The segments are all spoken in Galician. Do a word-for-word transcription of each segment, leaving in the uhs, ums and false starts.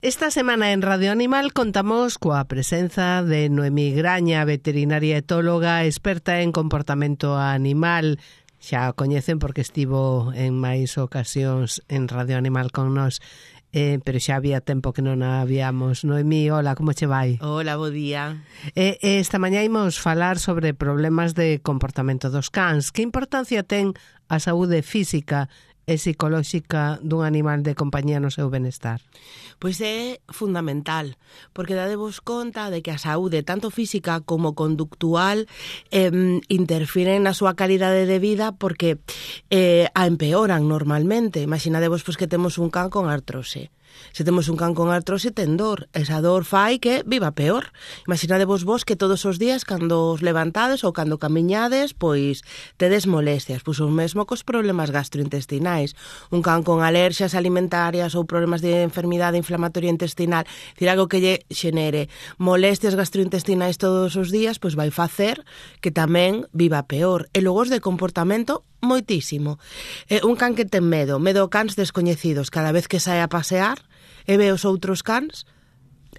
Esta semana en Radio Animal contamos coa presenza de Noemí Graña, veterinaria etóloga, experta en comportamento animal. Xa o coñecen porque estivo en máis ocasións en Radio Animal con nós, eh, pero xa había tempo que non a habíamos. Noemí, hola, como che vai? Hola, bo día. Eh, eh, esta mañá imos falar sobre problemas de comportamento dos cans. Que importancia ten a saúde física e psicolóxica dun animal de compañía no seu benestar? Pois é fundamental, porque dadevos conta de que a saúde, tanto física como conductual, eh, interfiren na súa calidade de vida porque eh, a empeoran normalmente. Imaginadevos pois, que temos un can con artrose. Se temos un can con artrose ten dor, esa dor fai que viva peor. Imaginadevos vos que todos os días cando os levantades ou cando camiñades, pois tedes molestias, pois o mesmo cos problemas gastrointestinais. Un can con alerxias alimentarias ou problemas de enfermidade inflamatoria intestinal, dicir algo que lle xenere molestias gastrointestinais todos os días, pois vai facer que tamén viva peor. E logo os de comportamento moitísimo. Eh, un can que ten medo, medo a cans descoñecidos, cada vez que sae a pasear e ve os outros cans,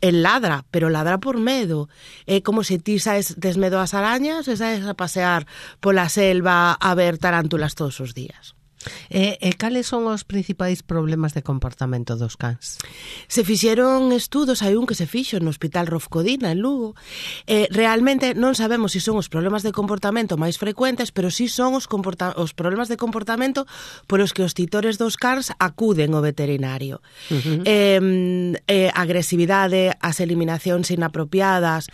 el ladra, pero ladra por medo. É como se ti saes, tes medo ás arañas e saes a pasear pola selva a ver tarántulas todos os días. E, e cales son os principais problemas de comportamento dos cans? Se fixeron estudos, hai un que se fixo no Hospital Rofcodina, en Lugo. Eh, realmente non sabemos se son os problemas de comportamento máis frecuentes, pero si son os, comporta- os problemas de comportamento polos que os titores dos cans acuden ao veterinario. Uh-huh. Eh, eh, agresividade, as eliminacións inapropiadas,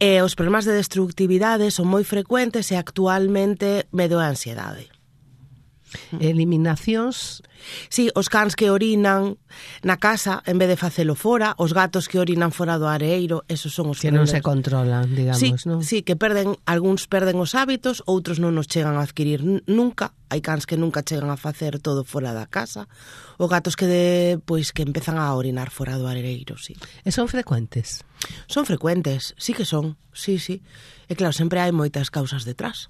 eh, os problemas de destructividade son moi frecuentes e actualmente medo a ansiedade. Eliminacións? Sí, os cans que orinan na casa en vez de facelo fora, os gatos que orinan fora do areeiro, esos son os que non se controlan, digamos, sí, non? Sí, que perden, algúns perden os hábitos, outros non nos chegan a adquirir nunca. Hai cans que nunca chegan a facer todo fora da casa. O gatos que de, pois que empezan a orinar fora do areeiro, sí. E son frecuentes? Son frecuentes, sí que son, sí, sí. E claro, sempre hai moitas causas detrás.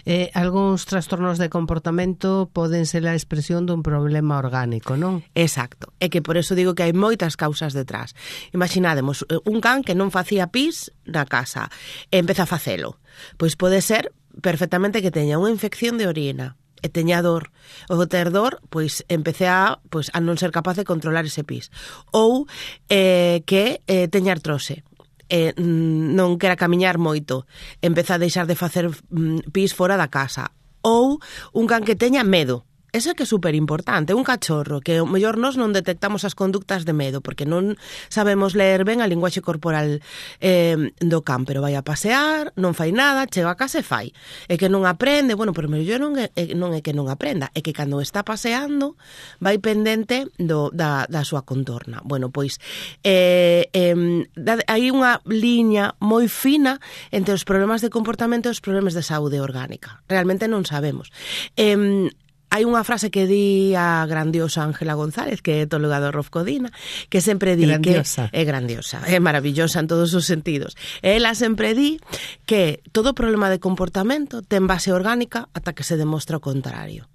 Eh, algúns trastornos de comportamento poden ser a expresión dun problema orgánico, non? Exacto, é que por eso digo que hai moitas causas detrás. Imaginádemos un can que non facía pis na casa e empeza a facelo. Pois pode ser perfectamente que teña unha infección de orina e teña dor. O ter dor, pois empece a, pois, a non ser capaz de controlar ese pis. Ou eh, que eh, teña artrose. Eh, non quera camiñar moito, empeza a deixar de facer mm, pis fora da casa. Ou un can que teña medo. Eso é que é super importante, un cachorro que o mellor nós non detectamos as conductas de medo porque non sabemos ler ben a linguaxe corporal eh, do can, pero vai a pasear, non fai nada, chega a casa e fai. É que non aprende, bueno, pero mellor non é, non é que non aprenda, é que cando está paseando vai pendente do, da, da súa contorna. Bueno, pois eh, eh, hai unha liña moi fina entre os problemas de comportamento e os problemas de saúde orgánica. Realmente non sabemos. Eh, Hai unha frase que di a grandiosa Ángela González, que é etóloga do Rofcodina, que sempre di grandiosa. que é grandiosa, é maravillosa en todos os sentidos. Ela sempre di que todo problema de comportamento ten base orgánica ata que se demostra o contrario.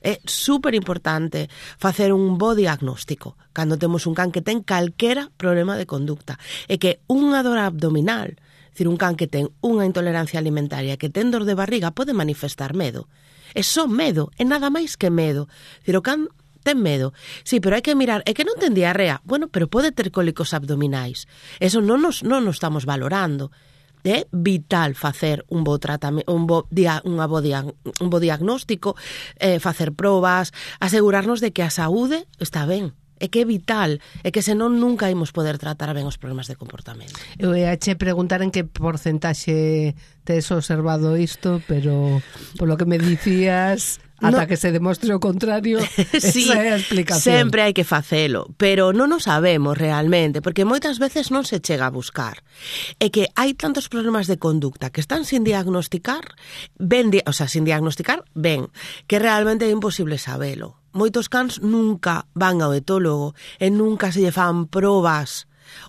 É super importante facer un bo diagnóstico cando temos un can que ten calquera problema de conducta. É que unha dor abdominal, é dicir, un can que ten unha intolerancia alimentaria, que ten dor de barriga, pode manifestar medo. É só medo, é nada máis que medo. Dicir, o can ten medo. Sí, pero hai que mirar, é que non ten diarrea. Bueno, pero pode ter cólicos abdominais. Eso non nos, non nos estamos valorando. É vital facer un bo tratamento, un bo dia, unha bo dia, un bo diagnóstico, eh, facer probas, asegurarnos de que a saúde está ben. É que é vital, é que senón nunca imos poder tratar ben os problemas de comportamento. Eu ia che preguntar en que porcentaxe tes observado isto, pero polo que me dicías, ata no, que se demostre o contrario, sí, esa é a explicación. Sempre hai que facelo, pero non o sabemos realmente, porque moitas veces non se chega a buscar. É que hai tantos problemas de conducta que están sin diagnosticar, ben, o sea, sin diagnosticar, ben, que realmente é imposible sabelo. Moitos cans nunca van ao etólogo e nunca se lle fan probas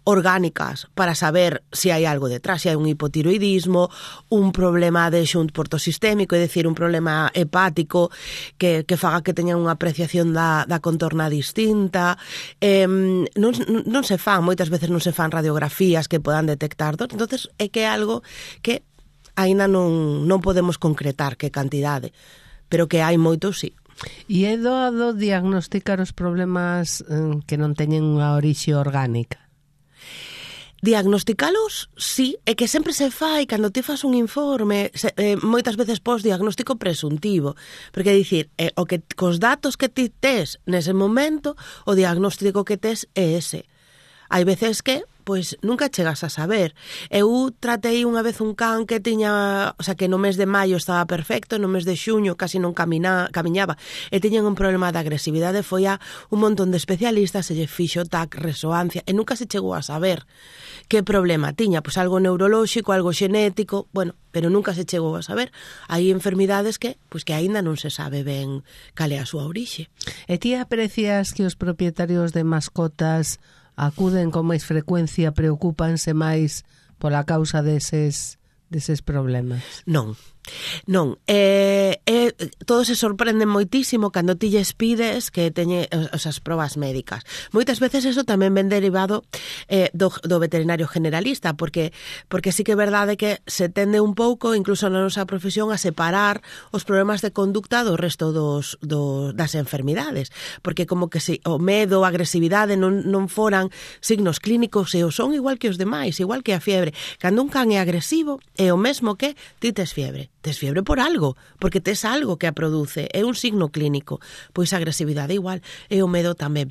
orgánicas para saber se si hai algo detrás, se si hai un hipotiroidismo, un problema de xunt portosistémico, é dicir, un problema hepático que, que faga que teñan unha apreciación da, da contorna distinta. Eh, non, non se fan, moitas veces non se fan radiografías que podan detectar dor, entonces é que é algo que aínda non, non podemos concretar que cantidade, pero que hai moitos, sí. E é doado diagnosticar os problemas eh, que non teñen unha orixe orgánica? Diagnosticalos, sí, é que sempre se fai cando ti fas un informe, se, eh, moitas veces pos diagnóstico presuntivo, porque é dicir, eh, o que cos datos que ti tes nese momento, o diagnóstico que tes é ese. Hai veces que, pois, nunca chegas a saber. Eu tratei unha vez un can que tiña, o sea, que no mes de maio estaba perfecto, no mes de xuño casi non camina, camiñaba, e tiñan un problema de agresividade, foi a un montón de especialistas, se lle fixo T A C, resoancia, e nunca se chegou a saber que problema tiña, pois algo neurolóxico, algo xenético, bueno, pero nunca se chegou a saber. Hai enfermidades que, pois que aínda non se sabe ben cal é a súa orixe. E ti aprecias que os propietarios de mascotas acuden con máis frecuencia, preocúpanse máis pola causa deses, deses problemas? Non. Non, eh, eh, todos se sorprenden moitísimo cando ti lles pides que teñe esas probas médicas. Moitas veces eso tamén ven derivado eh, do, do veterinario generalista, porque porque sí que é verdade que se tende un pouco, incluso na nosa profesión, a separar os problemas de conducta do resto dos, do, das enfermidades, porque como que se, o medo, a agresividade non, non foran signos clínicos e o son igual que os demais, igual que a fiebre. Cando un can é agresivo, é o mesmo que ti tes fiebre. Tes fiebre por algo, porque tes algo que a produce, é un signo clínico. Pois a agresividade igual, e o medo tamén.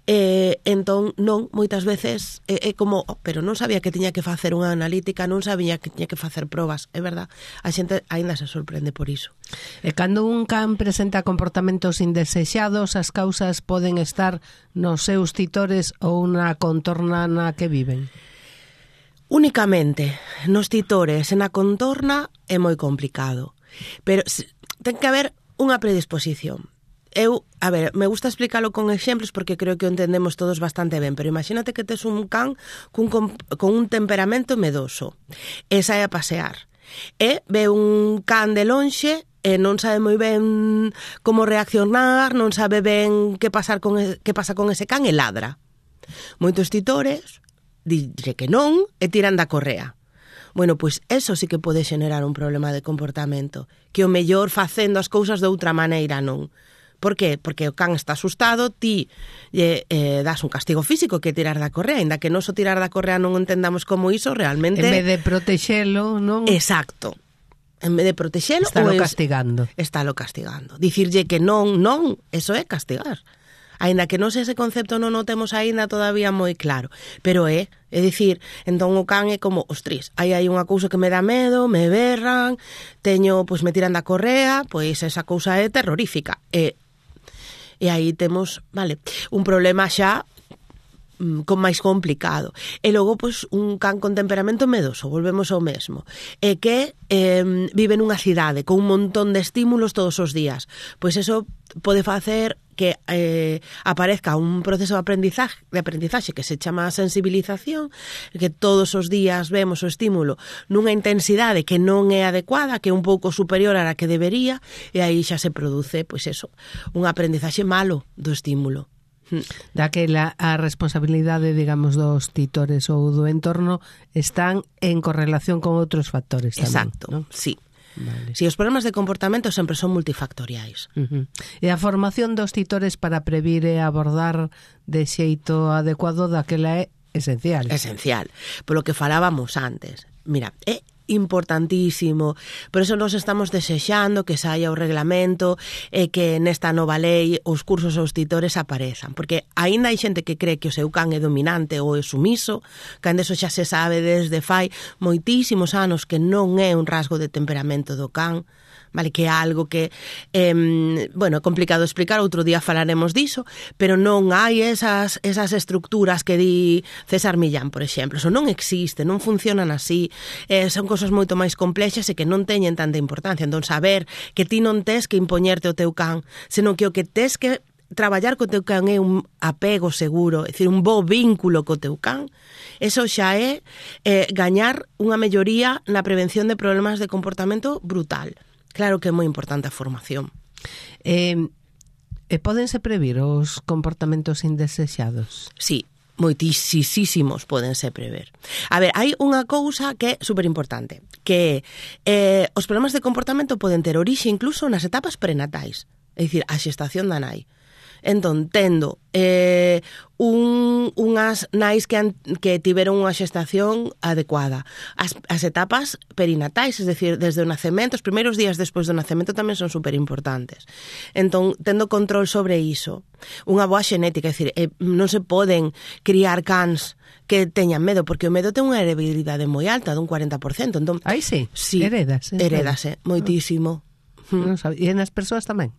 Eh, entón, non, moitas veces é, é como, oh, pero non sabía que tiña que facer unha analítica, non sabía que tiña que facer probas, é verdad, a xente aínda se sorprende por iso. E cando un can presenta comportamentos indesexados, as causas poden estar nos seus titores ou na contorna na que viven? Únicamente nos titores e na contorna é moi complicado, pero ten que haber unha predisposición. Eu, a ver, me gusta explicarlo con exemplos porque creo que o entendemos todos bastante ben, pero imagínate que tes un can cun, con un temperamento medoso e sae a pasear e ve un can de lonxe e non sabe moi ben como reaccionar, non sabe ben que pasar con, que pasa con ese can e ladra. Moitos titores dille que non e tiran da correa. Bueno, pois eso sí que pode xenerar un problema de comportamento, que o mellor facendo as cousas de outra maneira non. Por qué? Porque o can está asustado, ti eh, eh, das un castigo físico que tirar da correa, ainda que non so tirar da correa non entendamos como iso realmente... En vez de protexelo, non? Exacto. En vez de protexelo... Estálo es... castigando. Estálo castigando. Dicirlle que non, non, eso é castigar. Aínda que non sei ese concepto non o temos aínda todavía moi claro, pero é, é dicir, entón o can é como, ostris, aí hai unha cousa que me dá medo, me berran, teño, pois me tiran da correa, pois esa cousa é terrorífica. E, e aí temos, vale, un problema xa con máis complicado. E logo, pois, un can con temperamento medoso, volvemos ao mesmo, e que eh, vive nunha cidade con un montón de estímulos todos os días. Pois eso pode facer que eh, aparezca un proceso de aprendizaje, de aprendizaxe que se chama sensibilización, que todos os días vemos o estímulo nunha intensidade que non é adecuada, que é un pouco superior á que debería, e aí xa se produce, pois eso, un aprendizaxe malo do estímulo. Daquela a responsabilidade, digamos, dos titores ou do entorno están en correlación con outros factores tamén. Exacto, ¿no? Sí. Vale. Si, os problemas de comportamento sempre son multifactoriais. Uh-huh. E a formación dos titores para previr e abordar de xeito adecuado daquela é esencial. Esencial. Polo que falábamos antes. Mira, é importantísimo. Por eso nos estamos desexando que saia o reglamento e que nesta nova lei os cursos aos titores aparezan. Porque aínda hai xente que cree que o seu can é dominante ou é sumiso, cando eso xa se sabe desde fai moitísimos anos que non é un rasgo de temperamento do can, vale, que é algo que eh, bueno, é complicado explicar, outro día falaremos diso, pero non hai esas, esas estructuras que di César Millán, por exemplo. Eso non existe, non funcionan así, eh, son cosas moito máis complexas e que non teñen tanta importancia. Entón, saber que ti non tes que impoñerte o teu can, senón que o que tes que traballar co teu can é un apego seguro, é dicir, un bo vínculo co teu can, eso xa é eh, gañar unha melloría na prevención de problemas de comportamento brutal. Claro que é moi importante a formación. Eh, e pódense previr os comportamentos indesexados? Sí, moitísimos pódense prever. A ver, hai unha cousa que é superimportante, que eh, os problemas de comportamento poden ter orixe incluso nas etapas prenatais, é dicir, a xestación da nai. Entón, tendo eh, un, unhas nais que, han, que tiveron unha xestación adecuada, as, as etapas perinatais, es decir, desde o nacemento, os primeiros días despois do nacemento tamén son superimportantes. Entón, tendo control sobre iso, unha boa xenética, é dicir, eh, non se poden criar cans que teñan medo, porque o medo ten unha heredabilidade moi alta, dun cuarenta por cento. Entón, aí sí, sí heredase. Heredase, moitísimo. Non sabe. E nas persoas tamén?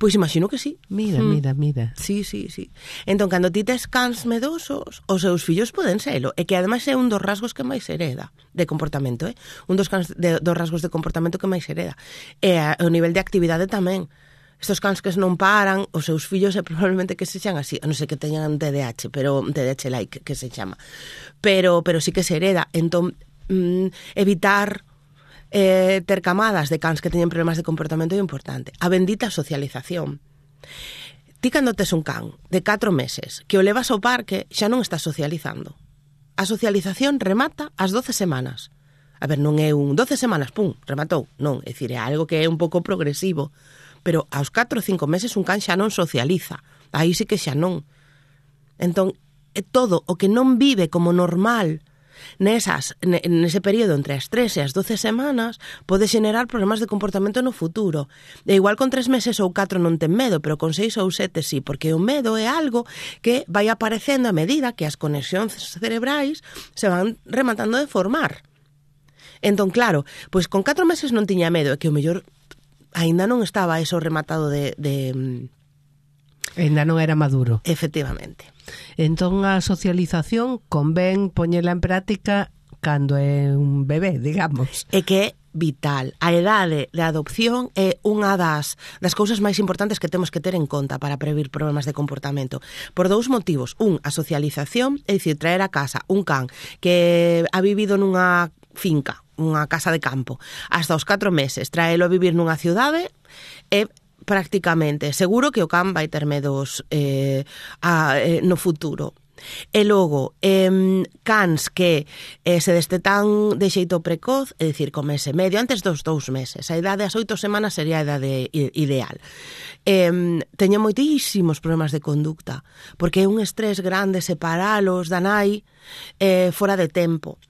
Pois imagino que sí. Mira, mm. mira, mira. Sí, sí, sí. Entón, cando ti tes cans medosos, os seus fillos poden selo. E que ademais é un dos rasgos que máis hereda de comportamento, eh? Un dos, cans de, dos rasgos de comportamento que máis hereda. E a, o nivel de actividade tamén. Estos cans que non paran, os seus fillos é probablemente que se xan así, non sei que teñan T D A H, pero T D A H like que se chama. Pero pero sí que se hereda. Entón, mm, evitar Eh, ter camadas de cans que teñen problemas de comportamento é importante. A bendita socialización. Ti cando tes un can de catro meses que o levas ao parque xa non estás socializando. A socialización remata ás doce semanas. A ver, non é un doce semanas, pum, rematou. Non, é dicir, é algo que é un pouco progresivo. Pero aos catro ou cinco meses un can xa non socializa. Aí sí que xa non. Entón, é todo o que non vive como normal nesas, nese período entre as tres e as doce semanas pode xenerar problemas de comportamento no futuro. E igual con tres meses ou catro non ten medo, pero con seis ou sete sí, porque o medo é algo que vai aparecendo a medida que as conexións cerebrais se van rematando de formar. Entón, claro, pois con catro meses non tiña medo, é que o mellor aínda non estaba eso rematado de... de Ainda non era maduro. Efectivamente. Entón a socialización convén poñela en práctica cando é un bebé, digamos. É que é vital. A idade de adopción é unha das, das cousas máis importantes que temos que ter en conta para prevenir problemas de comportamento. Por dous motivos. Un, a socialización, é dicir, traer a casa un can que ha vivido nunha finca, unha casa de campo, hasta os catro meses, traelo a vivir nunha cidade é prácticamente seguro que o can vai ter medos eh, a, eh, no futuro. E logo, eh, cans que eh, se destetan de xeito precoz, é dicir, con mes e medio, antes dos dous meses. A idade das oito semanas sería a idade ideal. Eh, teñen moitísimos problemas de conducta, porque é un estrés grande separalos da nai eh, fora de tempo.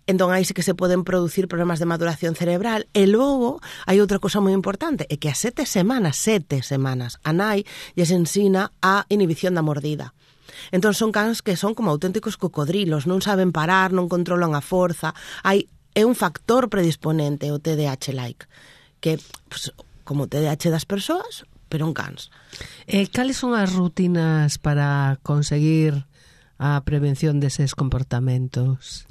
Entón aí sí que se poden producir problemas de maduración cerebral. E logo hai outra cosa moi importante, é que a sete semanas, sete semanas, a nai lles ensina a inhibición da mordida. Entón son cans que son como auténticos cocodrilos, non saben parar, non controlan a forza. Hai, é un factor predisponente o T D A H like, que pues, como o T D A H das persoas, pero en cans. E cales son as rutinas para conseguir a prevención deses comportamentos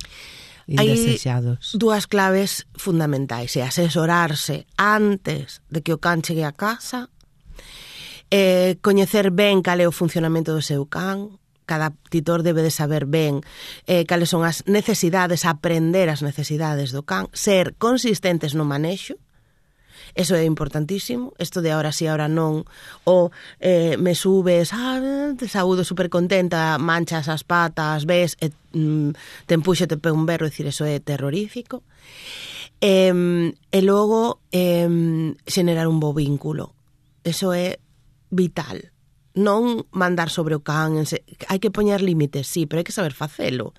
indesexados? Hai dúas claves fundamentais, é asesorarse antes de que o can chegue a casa, eh, coñecer ben cal é o funcionamento do seu can, cada titor debe de saber ben eh, cales son as necesidades, aprender as necesidades do can, ser consistentes no manexo. Eso é importantísimo, isto de ahora sí, ahora non, ou eh, me subes, ah, te saúdo super contenta, manchas as patas, ves, e, mm, te empuxo, te pego un berro, dicir, eso é terrorífico. E, e logo, eh, xenerar un bo vínculo, eso é vital. Non mandar sobre o can, hai que poñer límites, sí, pero hai que saber facelo.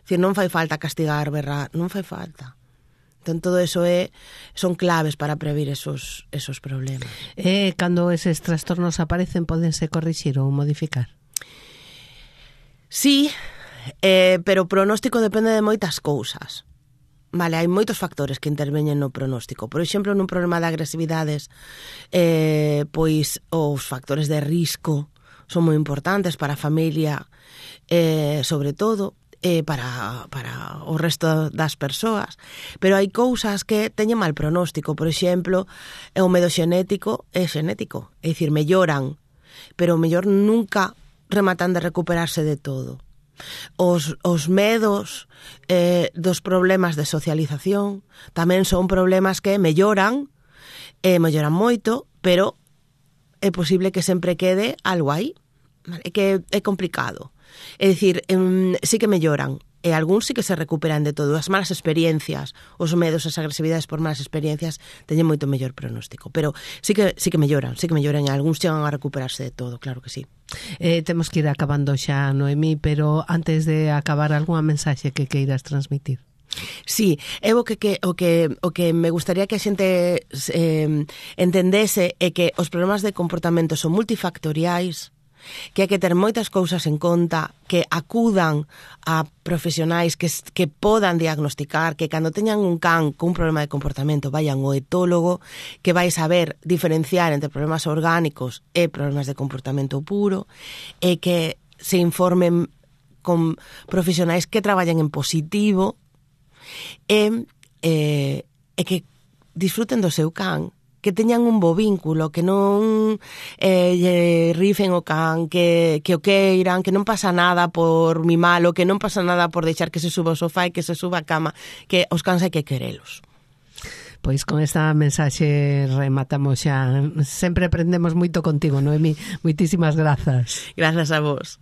Dicir, non fai falta castigar, berrar, non fai falta. Entón, todo eso é, son claves para prevenir esos, esos problemas. E cando eses trastornos aparecen, podense corrixir ou modificar? Sí, eh, pero o pronóstico depende de moitas cousas. Vale, hai moitos factores que interveñen no pronóstico. Por exemplo, nun problema de agresividades, eh, pois os factores de risco son moi importantes para a familia, eh, sobre todo, eh, para, para o resto das persoas, pero hai cousas que teñen mal pronóstico. Por exemplo, o medo xenético é xenético, é dicir, melloran pero o mellor nunca rematan de recuperarse de todo. Os, os medos eh, dos problemas de socialización tamén son problemas que melloran, eh, melloran moito, pero é posible que sempre quede algo aí, vale? Que é complicado. É dicir, um, sí que melloran, e algúns sí que se recuperan de todo. As malas experiencias, os medos, as agresividades por malas experiencias teñen moito mellor pronóstico, pero sí que sí que melloran, sí que melloran, e algúns chegan a recuperarse de todo, claro que sí. Eh, temos que ir acabando xa, Noemí, pero antes de acabar, algunha mensaxe que queiras transmitir? Sí, é o que, que, o que, o que me gustaría que a xente eh, entendese é que os problemas de comportamento son multifactoriais, que hai que ter moitas cousas en conta, que acudan a profesionais que, que podan diagnosticar, que cando teñan un can con un problema de comportamento vayan ao etólogo, que vai saber diferenciar entre problemas orgánicos e problemas de comportamento puro, e que se informen con profesionais que traballen en positivo, e, e, e que disfruten do seu can, que teñan un bo vínculo, que non eh, lle rifen o can, que, que o queiran, que non pasa nada por mimalo, que non pasa nada por deixar que se suba ao sofá e que se suba a cama, que os cans hai que querelos. Pois con esta mensaxe rematamos xa. Sempre aprendemos moito contigo, Noemí. Moitísimas grazas. Grazas a vos.